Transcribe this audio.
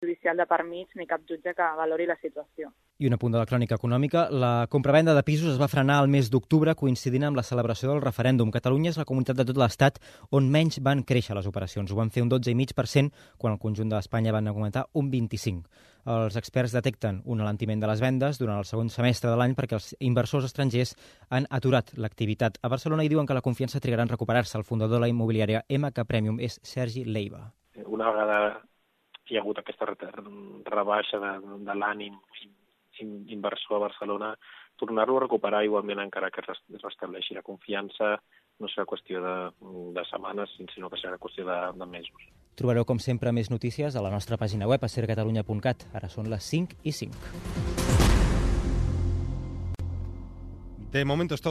judicial de per mig ni cap jutge que valori la situació. I un apunt de la crònica econòmica. La compravenda de pisos es va frenar al mes d'octubre coincidint amb la celebració del referèndum. Catalunya és la comunitat de tot l'Estat on menys van créixer les operacions. Ho van fer un 12,5% quan el conjunt d'Espanya van augmentar un 25%. Els experts detecten un alentiment de les vendes durant el segon semestre de l'any perquè els inversors estrangers han aturat l'activitat a Barcelona i diuen que la confiança trigarà en recuperar-se. El fundador de la immobiliària MK Premium és Sergi Leiva. Una vegada hi ha hagut aquesta rebaixa de l'ànim inversor a Barcelona, tornar-lo a recuperar igualment encara que es restableixi la confiança no serà qüestió de setmanes, sinó que serà qüestió de mesos. Trobareu, com sempre, més notícies a la nostra pàgina web, a sercatalunya.cat. Ara són les 5:05. De momento es todo.